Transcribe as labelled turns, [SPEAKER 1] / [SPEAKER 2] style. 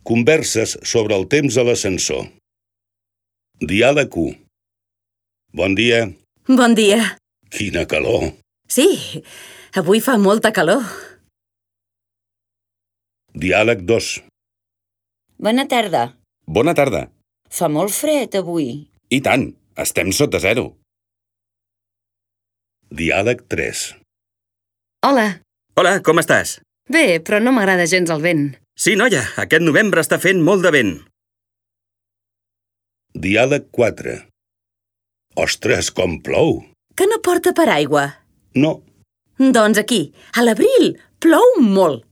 [SPEAKER 1] Converses sobre el temps a l'ascensor. Diàleg 1. Bon dia.
[SPEAKER 2] Bon dia.
[SPEAKER 1] Quina calor.
[SPEAKER 2] Sí, avui fa molta calor.
[SPEAKER 1] Diàleg 2.
[SPEAKER 3] Bona tarda.
[SPEAKER 4] Bona tarda.
[SPEAKER 3] Fa molt fred avui.
[SPEAKER 4] I tant, estem sota zero.
[SPEAKER 1] Diàleg 3.
[SPEAKER 5] Hola.
[SPEAKER 4] Hola, com estàs?
[SPEAKER 5] Bé, però no m'agrada gens el vent.
[SPEAKER 4] Sí, noia, aquest novembre està fent molt de vent.
[SPEAKER 1] Diàleg 4. Ostres, com plou.
[SPEAKER 2] Que no porta paraigua?
[SPEAKER 1] No.
[SPEAKER 2] Doncs aquí, a l'abril, plou molt.